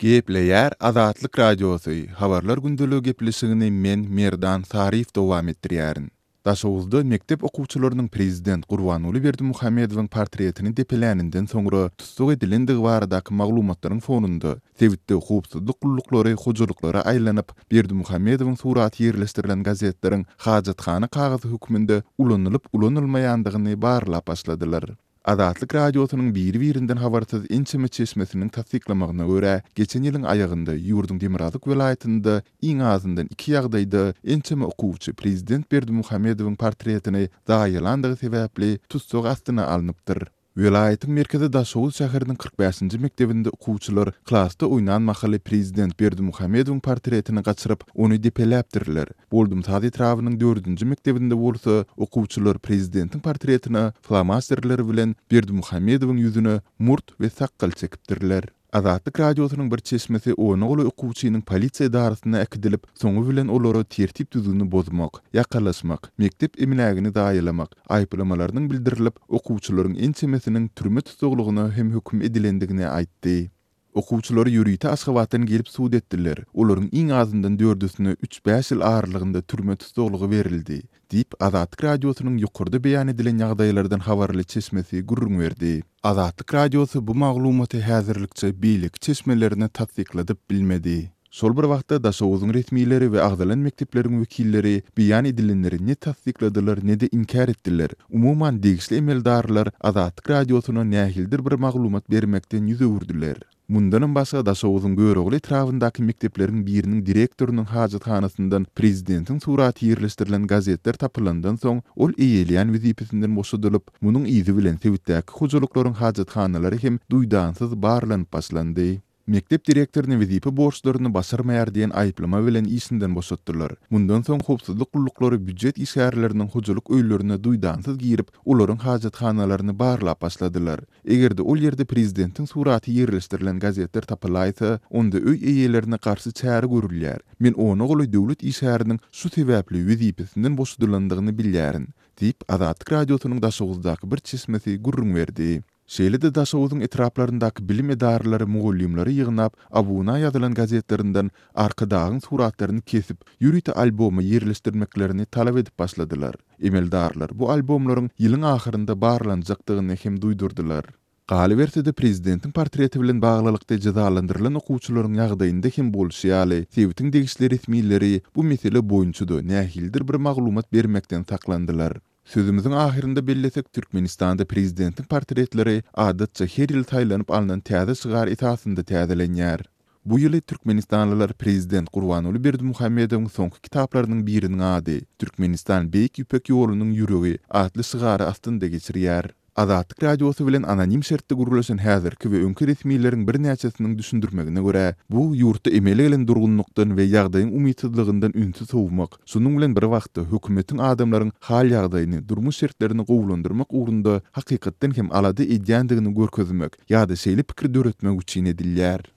Gepleýär Azatlyk Radiosy, Habarlar gündeligi gepleşigini men, Merdan Saryýew dowam etdirýärin. Daşoguzda mekdep okuwçylarynyň prezident Gurbanguly Berdimuhamedowyň portretini depeläninden soňra tussag edilendigi baradaky maglumatlaryň fonunda, sebitde howpsuzlyk gulluklary hojalyklara aýlanyp, Berdimuhamedowyň suraty ýerleşdirilen gazetleriň hajathana kagyzy hökmünde ulanylyp-ulanylmaýandygyny barlap başladylar. Azatlyk Radiosynyň biri-birinden habarsyz ençeme çeşmesiniň tassyklamagyna görä, geçen ýylyň aýagynda ýurduň demirgazyk welaýatynda iň azyndan iki ýagdaýda ençeme okuwçy prezident Berdimuhamedowyň portretini zaýalandygy sebäpli tussag astyna alnypdyr. Welaýatyň merkezi Daşoguz şäheriniň 45-nji mekdebinde okuwçylar klasda oýnan mahaly prezident Berdimuhamedowyň portretini gaçyryp, ony depeläpdirler. Boldumsaz etrabynyň dördünji mekdebinde bolsa okuwçylar prezidentiň portretine flomasterler bilen Berdimuhamedowyň ýüzüne murt we sakgal çekipdirler. Azatlyk Radiosynyň bir çeşmesi ona golaý okuwçynyň polisiýa edarasyna äkidilip, soňy bilen olara tertip-düzgüni bozmak, ýakalaşmak, mekdep emlägini zaýalamak aýyplamalarynyň bildirilip, okuwçylaryň ençemesiniň türme tussaglygyna hem höküm edilendigini aýtdy. Okuwçylary ýörite Aşgabatdan gelip sud etdiler. Olaryň iň azyndan dördüsine üç-bäş ýyl aralygynda türme tussaglygy berildi, diýip, Azatlyk Radiosynyň ýokarda beýan edilen ýagdaýlardan habarly çeşmesi gürrüň berdi. Azatlyk Radiosy bu maglumaty häzirlikçe beýleki çeşmelerine tassykladyp bilmedi. Şol bir wagtda, Daşoguzyň resmileri we agzalan mekdepleriň wekilleri beýan edilenleri ne tassykladylar, ne-de inkär etdiler. Umuman, degişli emeldarlar Azatlyk Radiosyna nähilidir bir maglumat bermekden ýüz öwürdiler. Mundanam başga, Daşoguzyň Görogly etrabyndaky mekdepleriň biriniň direktorynyň hajathanasyndan prezidentiň suraty ýerleşdirilen gazetler tapylandan soň, ol eýeleýän wezipesinden boşadylyp, munuň yzy bilen sebitdäki hojalyklaryň hajathanalary hem duýdansyz barlanyp başlandy. Mekdep direktoryny wezipe borçlaryny başarmaýar diýen aýyplama bilen işinden boşatdylar. Mundan soň howpsuzlyk gulluklary býujet işgärleriniň hojalyk öýlerine duýdansyz girip, olaryň hajathanalaryny barlap başladylar. Eger-de ol ýerde prezidentiň suraty ýerleşdirilen gazetler tapylaýsa, onda öý eýelerine garşy çäre görülýär. Men ona golaý döwlet işgäriniň şu sebäpli wezipesinden boşadylandygyny bilýärin, diýip, Azatlyk Radiosynyň Daşoguzdaky bir çeşmesi gürrüň berdi. Şeýle-de Daşoguzyň etraplaryndaky bilim edaralary mugallymlary ýygnap, abuna ýazylan gazetlerinden Arkadagyň suratlaryny kesip, ýörite alboma ýerleşdirmeklerini talap edip başladylar. Emeldarlar bu albomlaryň ýylyň ahyrynda barlanjakdygyny hem duýdurdylar. Galyberse-de, prezidentiň portreti bilen baglylykda jezalandyrylan okuwçylaryň ýagdaýynda hem bolşy ýaly, sebitiň degişli resmileri bu mesele boýunça-da nähilidir bir maglumat bermekden saklandylar. Sözümiziň ahyrynda bellesek, Türkmenistanda prezidentiň portretleri adatça her ýyl saýlanyp alnan täze şygar esasynda täzelenýär. Bu ýyly türkmenistanlylar prezident Gurbanguly Berdimuhamedowyň soňky kitaplarynyň biriniň ady, Türkmenistan Beýik Ýüpek ýolunyň ýüregi atly şygary astynda geçirýär. Azatlyk Radiosy bilen anonim şertde gürleşen häzirki we öňki resmileriň birnäçesiniň düşündirmegine görä, bu ýurtda emele gelen durgunlykdan we ýagdaýyň umytsyzlygyndan ünsi sowmak, şonuň bilen bir wagtda hökümetiň adamlaryň hal-ýagdaýyny, durmuş şertlerini gowulandyrmak ugrunda hakykatdan hem alada edýändigini görkezmek ýa-da şeýle pikir döretmek üçin edilýär.